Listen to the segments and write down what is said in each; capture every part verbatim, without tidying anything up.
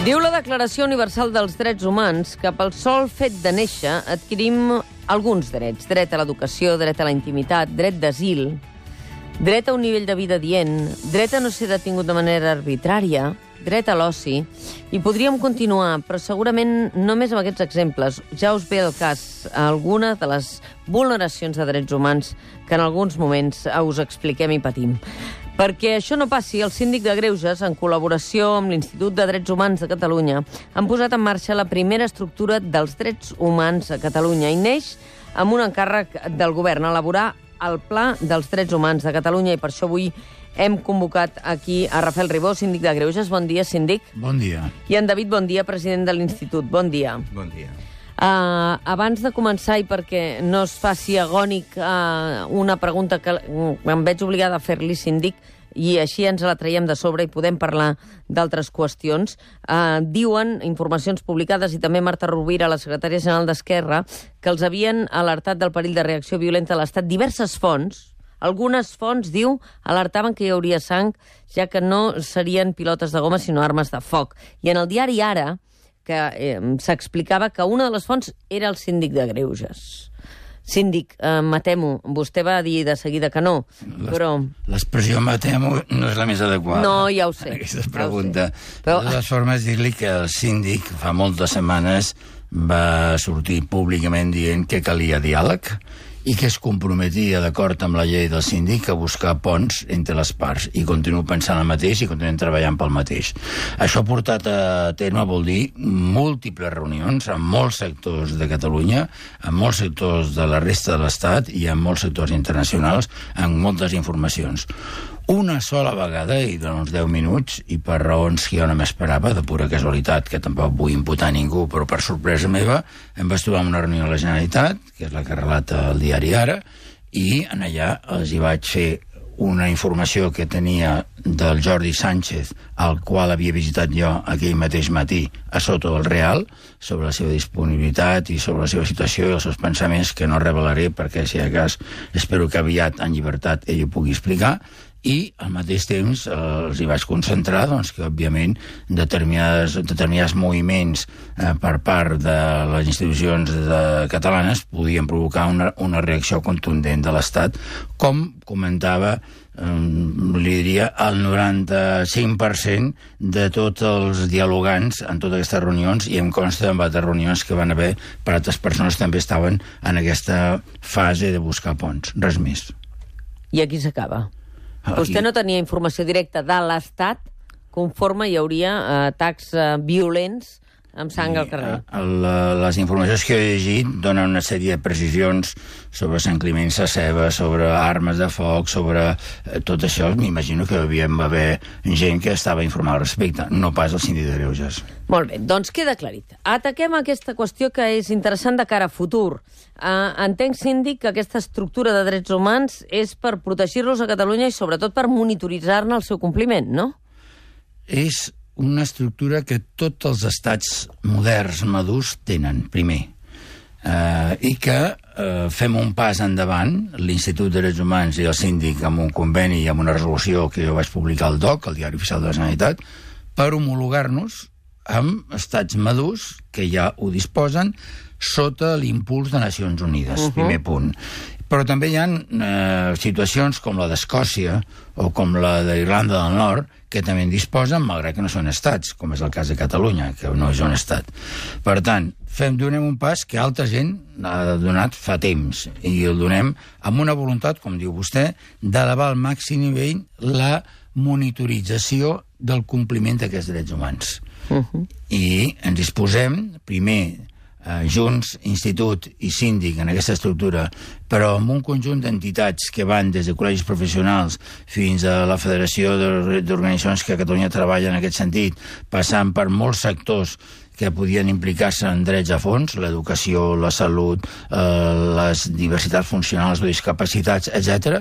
Diu la Declaració Universal dels Drets Humans que pel sol fet de néixer adquirim alguns drets. Dret a l'educació, dret a la intimitat, dret d'asil, dret a un nivell de vida dient, dret a no ser detingut de manera arbitrària, dret a l'oci, i podríem continuar, però segurament només amb aquests exemples ja us ve al cas alguna de les vulneracions de drets humans que en alguns moments us expliquem i patim. Perquè això no passi, el Síndic de Greuges, en col·laboració amb l'Institut de Drets Humans de Catalunya, han posat en marxa la primera estructura dels drets humans a Catalunya i neix amb un encàrrec del govern, elaborar el Pla dels Drets Humans de Catalunya, i per això avui hem convocat aquí a Rafael Ribó, Síndic de Greuges. Bon dia, síndic. Bon dia. I en David Bondia, president de l'Institut. Bon dia. Bon dia. Uh, abans de començar, i perquè no es faci agònic uh, una pregunta que em veig obligada a fer-li, síndic, i així ens la traiem de sobre i podem parlar d'altres qüestions. Uh, diuen, informacions publicades, i també Marta Rovira, la secretària general d'Esquerra, que els havien alertat del perill de reacció violenta a l'Estat diverses fonts. Algunes fonts, diu, alertaven que hi hauria sang, ja que no serien pilotes de goma, sinó armes de foc. I en el diari Ara, que eh, s'explicava que una de les fonts era el Síndic de Greuges. Síndic, eh, matemo, vostè va dir de seguida que no, però... L'expressió matemo no és la més adequada. No, ja ho sé. Aquesta pregunta. Ja però... De totes formes, dir-li que el síndic fa moltes setmanes va sortir públicament dient que calia diàleg i que es comprometia, d'acord amb la llei del síndic, a buscar ponts entre les parts. I continuo pensant el mateix i continuem treballant pel mateix. Això portat a terme vol dir múltiples reunions amb molts sectors de Catalunya, amb molts sectors de la resta de l'Estat i amb molts sectors internacionals, amb moltes informacions. Una sola vegada, i de uns deu minuts, i per raons que jo no m'esperava, de pura casualitat, que tampoc vull imputar a ningú, però per sorpresa meva, em vaig trobar una reunió a la Generalitat, que és la que relata el diari Ara, i en allà els hi vaig fer una informació que tenia del Jordi Sánchez, al qual havia visitat jo aquell mateix matí a Soto del Real, sobre la seva disponibilitat i sobre la seva situació i els seus pensaments, que no revelaré perquè, si de cas, espero que aviat, en llibertat, ell ho pugui explicar, i al mateix temps eh, els hi vaig concentrar doncs, que, òbviament, determinades, determinats moviments eh, per part de les institucions de, catalanes podien provocar una, una reacció contundent de l'Estat, com comentava, eh, li diria, el noranta-cinc per cent de tots els dialogants en totes aquestes reunions, i em consta en altres reunions que van haver per altres persones que també estaven en aquesta fase de buscar ponts. Res més. I aquí s'acaba. Aquí. Vostè no tenia informació directa de l'Estat conforme hi hauria eh, atacs eh, violents amb sang al carrer. La, les informacions que he llegit donen una sèrie de precisions sobre Sant Climent Sescebes, sobre armes de foc, sobre eh, tot això. M'imagino que hi havia d'haver gent que estava informada al respecte, no pas el Síndic de Greuges. Molt bé, doncs queda aclarit. Ataquem aquesta qüestió que és interessant de cara a futur. Uh, entenc, síndic, que aquesta estructura de drets humans és per protegir-los a Catalunya i sobretot per monitoritzar-ne el seu compliment, no? És una estructura que tots els estats moderns madurs tenen, primer. Uh, I que uh, fem un pas endavant, l'Institut de Drets Humans i el síndic, amb un conveni i amb una resolució que jo vaig publicar al D O C, al Diari Oficial de la Generalitat, per homologar-nos amb estats madurs que ja ho disposen sota l'impuls de Nacions Unides, uh-huh. Primer punt. Però també hi ha eh, situacions com la d'Escòcia o com la d'Irlanda del Nord, que també en disposen, malgrat que no són estats, com és el cas de Catalunya, que no és un estat. Per tant, fem, donem un pas que altra gent ha donat fa temps, i el donem amb una voluntat, com diu vostè, d'elevar al màxim nivell la monitorització del compliment d'aquests drets humans. Uh-huh. I ens disposem, primer, Uh, junts, institut i síndic en aquesta estructura, però amb un conjunt d'entitats que van des de col·legis professionals fins a la Federació d'Organitzacions que a Catalunya treballa en aquest sentit, passant per molts sectors que podien implicar-se en drets a fons, l'educació, la salut, eh, les diversitats funcionals o discapacitats, etcètera,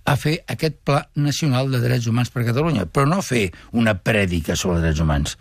a fer aquest Pla Nacional de Drets Humans per a Catalunya, però no fer una prèdica sobre drets humans.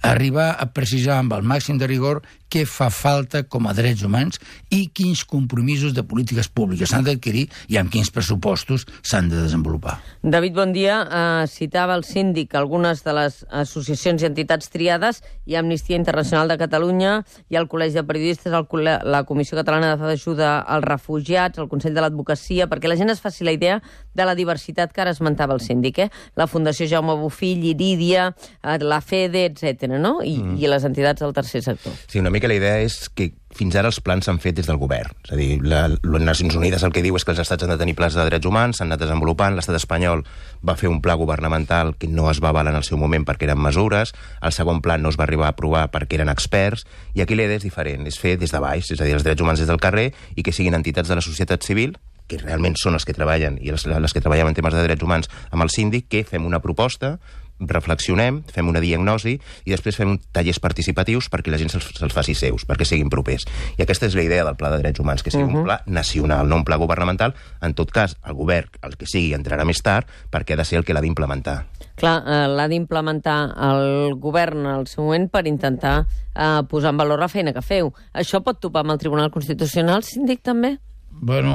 Arribar a precisar amb el màxim de rigor què fa falta com a drets humans i quins compromisos de polítiques públiques s'han d'adquirir i amb quins pressupostos s'han de desenvolupar. David, bon dia. Uh, citava el síndic algunes de les associacions i entitats triades, i Amnistia Internacional de Catalunya, i el Col·legi de Periodistes, el, la Comissió Catalana d'Ajuda als Refugiats, el Consell de l'Advocacia, perquè la gent es faci la idea de la diversitat que ara esmentava el síndic, eh? La Fundació Jaume Bofill, Irídia, la FEDE, etcètera, no? I, mm. i les entitats del tercer sector. Sí, una mica la idea és que fins ara els plans s'han fet des del govern. És a dir, la, les Nacions Unides el que diu és que els estats han de tenir plans de drets humans, s'han anat desenvolupant, l'estat espanyol va fer un pla governamental que no es va avalar en el seu moment perquè eren mesures, el segon pla no es va arribar a aprovar perquè eren experts, i aquí la idea és diferent, és fer des de baix, és a dir, els drets humans des del carrer, i que siguin entitats de la societat civil, que realment són els que treballen, i les, les que treballen en temes de drets humans amb el síndic, que fem una proposta, reflexionem, fem una diagnosi i després fem tallers participatius perquè la gent se'ls, se'ls faci seus, perquè siguin propers. I aquesta és la idea del Pla de Drets Humans, que sigui uh-huh. un pla nacional, no un pla governamental. En tot cas, el govern, el que sigui, entrarà més tard perquè ha de ser el que l'ha d'implementar. Clar, eh, l'ha d'implementar el govern al seu moment per intentar eh, posar en valor la feina que feu. Això pot topar amb el Tribunal Constitucional, síndic, també? Bueno,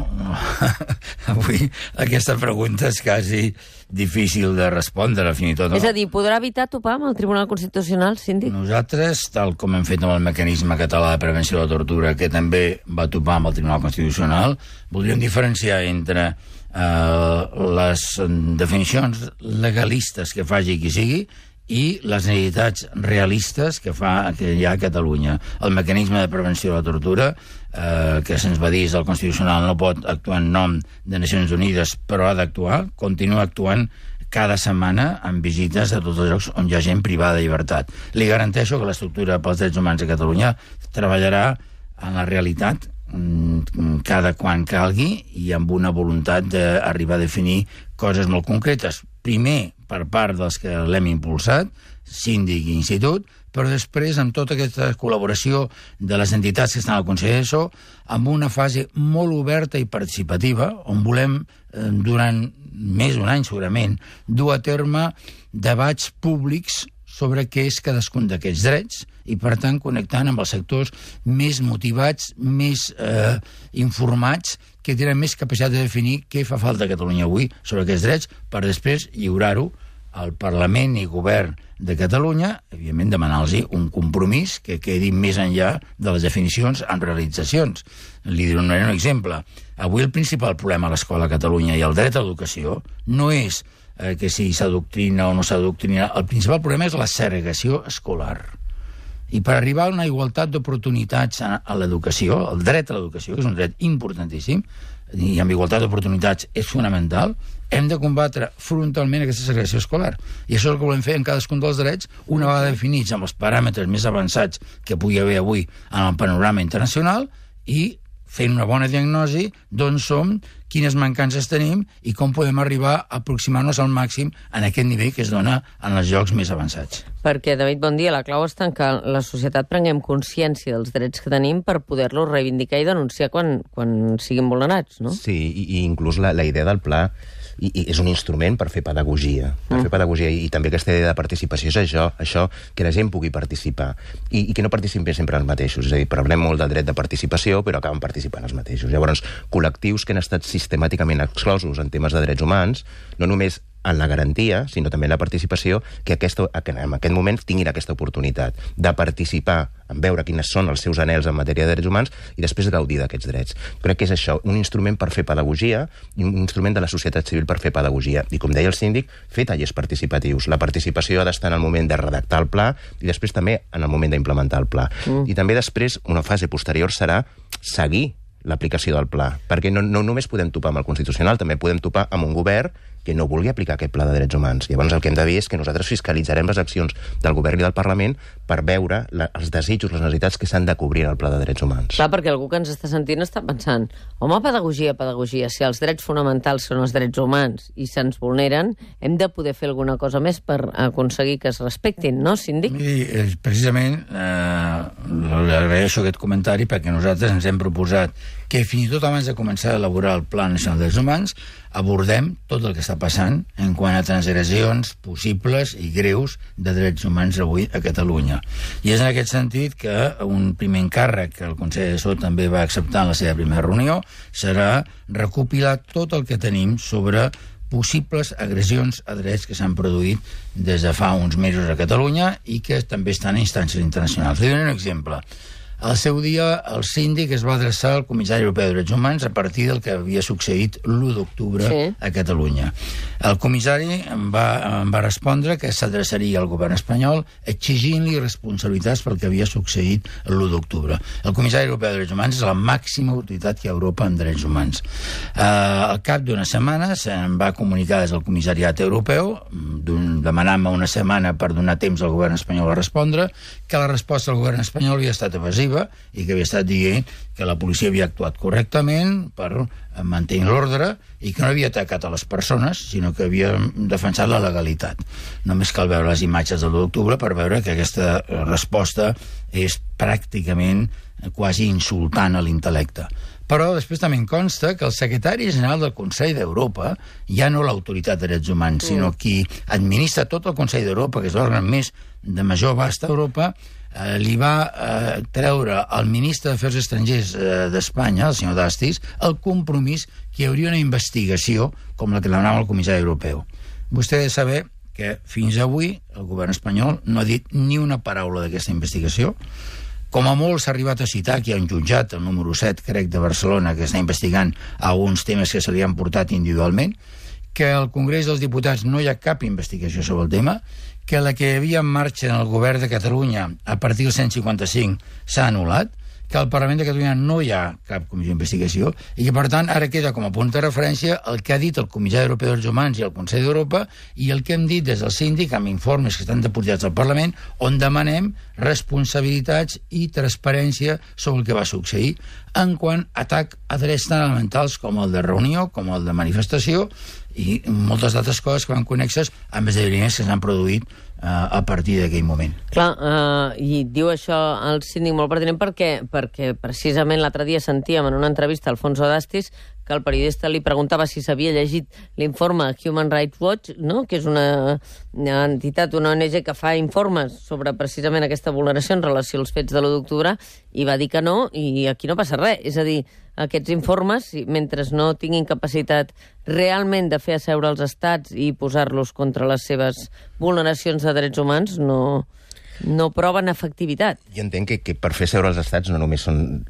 avui aquesta pregunta és quasi difícil de respondre, fins i tot. No? És a dir, podrà evitar topar amb el Tribunal Constitucional, síndic? Nosaltres, tal com hem fet amb el mecanisme català de prevenció de la tortura, que també va topar amb el Tribunal Constitucional, voldríem diferenciar entre eh, les definicions legalistes que faci qui sigui i les necessitats realistes que fa que hi ha a Catalunya. El mecanisme de prevenció de la tortura, eh, que se'ns va dir del Constitucional, no pot actuar en nom de Nacions Unides, però ha d'actuar, continua actuant cada setmana amb visites a tots els llocs on hi ha gent privada de llibertat. Li garanteixo que l'estructura pels drets humans a Catalunya treballarà en la realitat cada quan calgui i amb una voluntat d'arribar a definir coses molt concretes. Primer, per part dels que l'hem impulsat, síndic i institut, però després amb tota aquesta col·laboració de les entitats que estan al Consell d'Assessor, amb una fase molt oberta i participativa, on volem, eh, durant més d'un any segurament, dur a terme debats públics sobre què és cadascun d'aquests drets i, per tant, connectant amb els sectors més motivats, més eh, informats, que tenen més capacitat de definir què fa falta a Catalunya avui sobre aquests drets, per després lliurar-ho al Parlament i Govern de Catalunya, evidentment demanar-los un compromís que quedi més enllà de les definicions en realitzacions. Li donaré un exemple. Avui el principal problema a l'escola a Catalunya i el dret a l'educació no és eh, que si s'adoctrina o no s'adoctrina. El principal problema és la segregació escolar. I per arribar a una igualtat d'oportunitats a, a l'educació, el dret a l'educació, que és un dret importantíssim, i amb igualtat d'oportunitats és fonamental, hem de combatre frontalment aquesta segregació escolar. I això és el que volem fer en cadascun dels drets, una vegada definits amb els paràmetres més avançats que pugui haver avui en el panorama internacional, i fent una bona diagnosi d'on som, quines mancances tenim i com podem arribar a aproximar-nos al màxim en aquest nivell que es dona en els llocs més avançats. Perquè, David, bon dia, la clau està en que la societat prenguem consciència dels drets que tenim per poder-los reivindicar i denunciar quan, quan siguin vulnerats, no? Sí, i, i inclús la, la idea del pla i, i és un instrument per fer pedagogia. Per mm. fer pedagogia, i, i també aquesta idea de participació és això, això que la gent pugui participar. I, i que no participin sempre els mateixos. És a dir, parlem molt del dret de participació, però acaben participant els mateixos. Llavors, col·lectius que han estat sistemàticament exclosos en temes de drets humans, no només en la garantia, sinó també en la participació, que aquesta, que en aquest moment tinguin aquesta oportunitat de participar, en veure quines són els seus anhels en matèria de drets humans i després gaudir d'aquests drets. Crec que és això, un instrument per fer pedagogia i un instrument de la societat civil per fer pedagogia. I com deia el síndic, fer tallers participatius. La participació ha d'estar en el moment de redactar el pla i després també en el moment d'implementar el pla. Mm. I també després, una fase posterior serà seguir l'aplicació del pla, perquè no, no només podem topar amb el Constitucional, també podem topar amb un govern que no vulgui aplicar aquest pla de drets humans. Llavors el que hem de dir és que nosaltres fiscalitzarem les accions del govern i del Parlament per veure la, els desitjos, les necessitats que s'han de cobrir en el pla de drets humans. Clar, perquè algú que ens està sentint està pensant, home, pedagogia, pedagogia, si els drets fonamentals són els drets humans i se'ns vulneren, hem de poder fer alguna cosa més per aconseguir que es respectin, no, síndic? I, precisament, eh, agraeixo aquest comentari perquè nosaltres ens hem proposat que fins i tot abans de començar a elaborar el Pla Nacional de Drets Humans abordem tot el que està passant en quant a transgressions possibles i greus de drets humans avui a Catalunya. I és en aquest sentit que un primer encàrrec que el Consell Assessor també va acceptar en la seva primera reunió serà recopilar tot el que tenim sobre possibles agressions a drets que s'han produït des de fa uns mesos a Catalunya i que també estan a instàncies internacionals. Li dono un exemple. Al seu dia, el síndic es va adreçar al Comissari Europeu de Drets Humans a partir del que havia succeït l'u d'octubre sí. a Catalunya. El comissari em va, em va respondre que s'adreçaria al govern espanyol exigint-li responsabilitats pel que havia succeït l'u d'octubre. El Comissari Europeu de Drets Humans és la màxima autoritat que hi ha a Europa en drets humans. Eh, al cap d'una setmana se'n va comunicar des del Comissariat Europeu, demanant-me una setmana per donar temps al govern espanyol a respondre, que la resposta del govern espanyol havia estat evasiva i que havia estat dient que la policia havia actuat correctament per mantenir l'ordre i que no havia atacat a les persones, sinó que havia defensat la legalitat. Només cal veure les imatges de l'u d'octubre per veure que aquesta resposta és pràcticament quasi insultant a l'intel·lecte. Però després també em consta que el secretari general del Consell d'Europa, ja no l'autoritat de drets humans, sinó qui administra tot el Consell d'Europa, que és l'òrgan més de major abast a Europa, Eh, li va eh, treure al ministre d'Afers Estrangers eh, d'Espanya, el senyor Dastis, el compromís que hi hauria una investigació com la que demanava el comissari europeu. Vostè ha de saber que fins avui el govern espanyol no ha dit ni una paraula d'aquesta investigació. Com a molt s'ha arribat a citar que hi ha un jutjat, el número set, crec, de Barcelona, que està investigant alguns temes que se li han portat individualment, que al Congrés dels Diputats no hi ha cap investigació sobre el tema, que la que hi havia en marxa en el govern de Catalunya a partir del cent cinquanta-cinc s'ha anul·lat, que al Parlament de Catalunya no hi ha cap comissió d'investigació i que, per tant, ara queda com a punt de referència el que ha dit el Comissari Europeu dels Drets Humans i el Consell d'Europa i el que hem dit des del síndic amb informes que estan depositats al Parlament on demanem responsabilitats i transparència sobre el que va succeir en quant a atac a drets tan elementals com el de reunió, com el de manifestació i moltes d'altres coses que van connexes amb esdeveniments que s'han produït uh, a partir d'aquell moment. Clar, uh, i diu això el síndic molt pertinent perquè, perquè precisament l'altre dia sentíem en una entrevista a Alfonso Dastis que el periodista li preguntava si s'havia llegit l'informe Human Rights Watch, no? Que és una, una entitat, una O N G que fa informes sobre precisament aquesta vulneració en relació als fets de l'u d'octubre, i va dir que no, i aquí no passa res. És a dir, aquests informes, mentre no tinguin capacitat realment de fer asseure els estats i posar-los contra les seves vulneracions de drets humans, no... no proven efectivitat. Jo entenc que, que per fer seure els estats no només són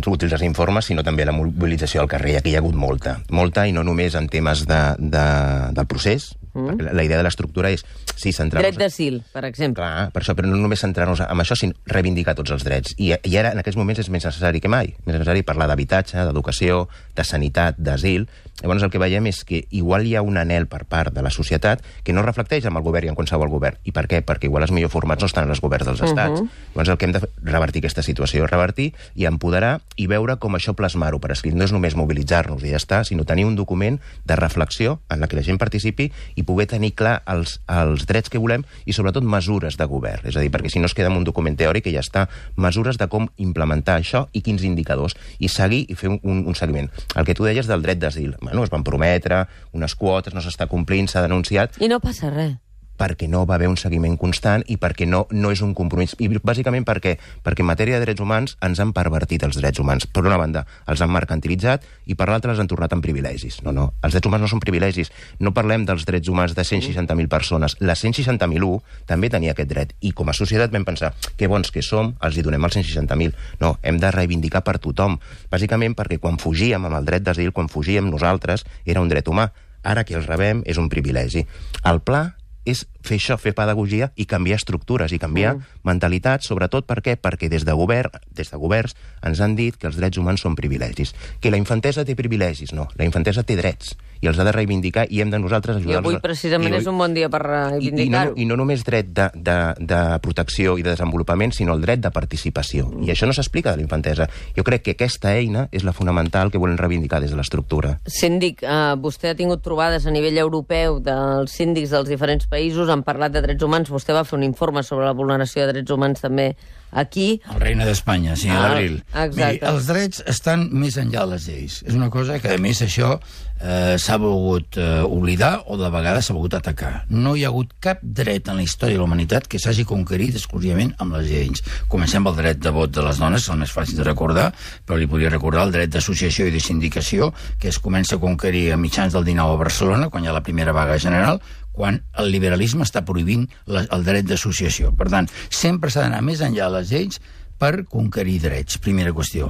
útils els informes, sinó també la mobilització al carrer. Aquí hi ha hagut molta. Molta, i no només en temes de, de, del procés, mm. perquè la idea de l'estructura és sí, centrar-nos... Dret d'asil, per exemple. Clar, per això, però no només centrar-nos en això, sinó reivindicar tots els drets. I, i ara, en aquests moments, és més necessari que mai. Més necessari parlar d'habitatge, d'educació, de sanitat, d'asil. Llavors el que veiem és que igual hi ha un anhel per part de la societat que no reflecteix amb el govern i en qualsevol govern. I per què? Perquè igual els millors formats no estan en els governs dels estats. Uh -huh. Llavors el que hem de revertir aquesta situació, revertir i empoderar i veure com això plasmar-ho per escrit. No és només mobilitzar-nos i ja està, sinó tenir un document de reflexió en la que la gent participi i poder tenir clar els, els drets que volem i sobretot mesures de govern. És a dir, perquè si no es queda en un document teòric que ja està, mesures de com implementar això i quins indicadors, i seguir i fer un, un, un seguiment. El que tu deies del dret d'asil, bueno, es van prometre unes quotes, no s'està complint, s'ha denunciat... I no passa res. Perquè no va haver un seguiment constant i perquè no, no és un compromís. I bàsicament perquè, perquè en matèria de drets humans ens han pervertit els drets humans. Per una banda, els han mercantilitzat i per l'altra els han tornat en privilegis. No, no, els drets humans no són privilegis. No parlem dels drets humans de cent seixanta mil persones. La cent seixanta mil u també tenia aquest dret. I com a societat vam pensar, que bons que som, els hi donem els cent seixanta mil. No, hem de reivindicar per tothom. Bàsicament perquè quan fugíem amb el dret d'asil, quan fugíem nosaltres, era un dret humà. Ara que els rebem és un privilegi. El pla és fer això, fer pedagogia i canviar estructures i canviar mm. mentalitats, sobretot per què? Perquè des de govern, des de governs ens han dit que els drets humans són privilegis. Que la infantesa té privilegis, no. La infantesa té drets i els ha de reivindicar i hem de nosaltres ajudar-los. I avui precisament I, és un bon dia per reivindicar-ho. I, i, no, I no només dret de, de, de protecció i de desenvolupament, sinó el dret de participació. Mm. I això no s'explica de la infantesa. Jo crec que aquesta eina és la fonamental que volen reivindicar des de l'estructura. Síndic, uh, vostè ha tingut trobades a nivell europeu dels síndics dels diferents països han parlat de drets humans. Vostè va fer un informe sobre la vulneració de drets humans també aquí. El Reina d'Espanya, sí, a Ah, l'abril. exacte. Miri, els drets estan més enllà de les lleis. És una cosa que, a més, això eh, s'ha volgut eh, oblidar o de vegades s'ha volgut atacar. No hi ha hagut cap dret en la història de la humanitat que s'hagi conquerit exclusivament amb les lleis. Comencem pel dret de vot de les dones, és el més fàcil de recordar, però li podria recordar el dret d'associació i de sindicació, que es comença a conquerir a mitjans del dinou a Barcelona, quan hi ha la primera vaga general, quan el liberalisme està prohibint la, el dret d'associació. Per tant, sempre s'ha d'anar més enllà de les lleis per conquerir drets, primera qüestió.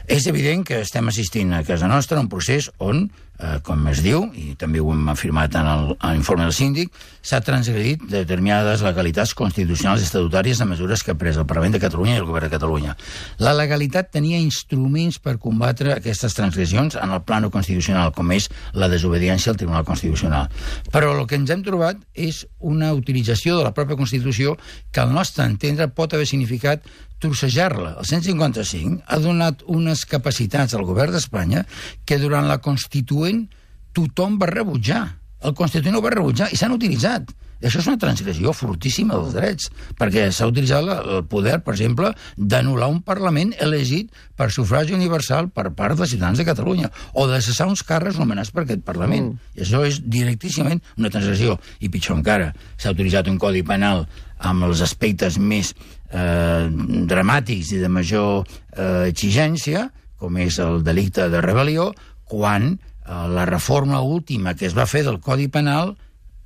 És evident que estem assistint a casa nostra a un procés on, eh, com es diu, i també ho hem afirmat en el- en l'informe del síndic, s'ha transgredit determinades legalitats constitucionals i estatutàries de mesures que ha pres el Parlament de Catalunya i el Govern de Catalunya. La legalitat tenia instruments per combatre aquestes transgressions en el plano constitucional, com és la desobediència al Tribunal Constitucional. Però el que ens hem trobat és una utilització de la pròpia Constitució que al nostre entendre pot haver significat trossejar-la. El cent cinquanta-cinc ha donat unes capacitats al govern d'Espanya que durant la Constituent tothom va rebutjar. El Constituent ho va rebutjar i s'han utilitzat. I això és una transgressió fortíssima dels drets, perquè s'ha utilitzat la, el poder, per exemple, d'anul·lar un Parlament elegit per sufragi universal per part dels ciutadans de Catalunya, o de cessar uns càrrecs nomenats per aquest Parlament. Mm. I això és directíssimament una transgressió. I pitjor encara, s'ha utilitzat un codi penal amb els aspectes més eh, dramàtics i de major eh, exigència, com és el delicte de rebel·lió, quan eh, la reforma última que es va fer del Codi Penal,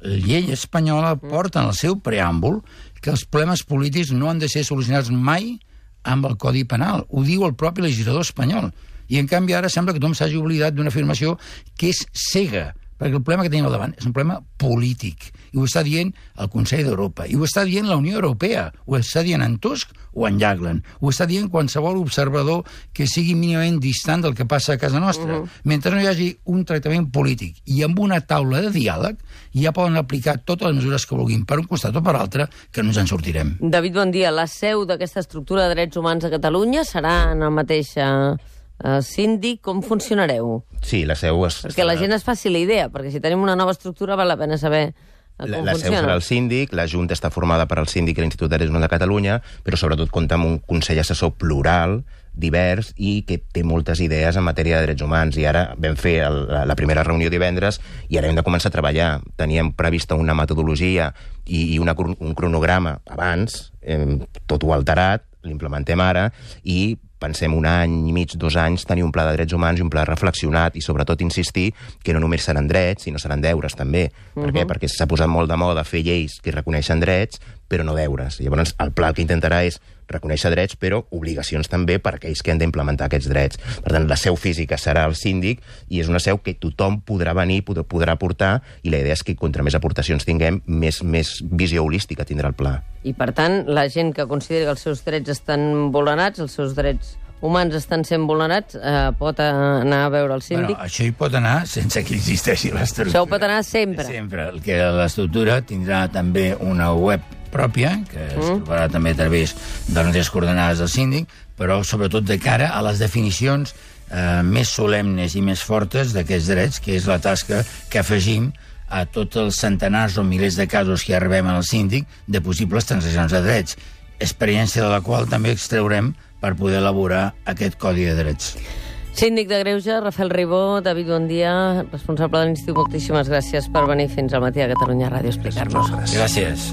la llei espanyola porta en el seu preàmbul que els problemes polítics no han de ser solucionats mai amb el Codi Penal. Ho diu el propi legislador espanyol. I, en canvi, ara sembla que tothom s'hagi oblidat d'una afirmació que és cega, perquè el problema que tenim al davant és un problema polític. I ho està dient el Consell d'Europa, i ho està dient la Unió Europea, ho està dient en Tusk o en Jagland, ho està dient qualsevol observador que sigui mínimament distant del que passa a casa nostra. Uh -huh. Mentre no hi hagi un tractament polític i amb una taula de diàleg, ja poden aplicar totes les mesures que vulguin per un costat o per l'altre, que no ens en sortirem. David, bon dia. La seu d'aquesta estructura de drets humans a Catalunya serà en el mateix eh, eh, síndic. Com funcionareu? Sí, la seu... Es, Perquè la gent es faci la idea, perquè si tenim una nova estructura val la pena saber com La, la seu funciona. serà el síndic, la Junta està formada per el síndic i l'Institut de Drets Humans de Catalunya, però sobretot compta amb un Consell Assessor plural, divers, i que té moltes idees en matèria de drets humans. I ara vam fer el, la, la primera reunió divendres i ara hem de començar a treballar. Teníem prevista una metodologia i, i una, un cronograma abans, eh, tot ho alterat, l'implementem ara, i pensem un any i mig, dos anys, tenir un pla de drets humans i un pla reflexionat i, sobretot, insistir que no només seran drets, sinó seran deures, també. Uh-huh. Per què? Perquè s'ha posat molt de moda fer lleis que reconeixen drets, però no deures. Llavors, el pla el que intentarà és reconèixer drets, però obligacions també per aquells que han d'implementar aquests drets. Per tant, la seu física serà el síndic i és una seu que tothom podrà venir, podrà aportar, i la idea és que, contra més aportacions tinguem, més, més visió holística tindrà el pla. I, per tant, la gent que consideri que els seus drets estan vulnerats, els seus drets humans estan sent vulnerats, eh, pot anar a veure el síndic? Bueno, això hi pot anar sense que existeixi l'estructura. Això ho pot anar sempre? Sempre. El que l'estructura tindrà també una web pròpia, que es mm. trobarà també a través de les coordenades del síndic, però sobretot de cara a les definicions eh, més solemnes i més fortes d'aquests drets, que és la tasca que afegim a tots els centenars o milers de casos que arribem al síndic de possibles transgressions de drets, experiència de la qual també extraurem per poder elaborar aquest codi de drets. Síndic de Greuges, Rafael Ribó. David, bon dia, responsable de l'Institut. Moltíssimes gràcies per venir fins al matí a Catalunya Ràdio a explicar-nos. Gràcies.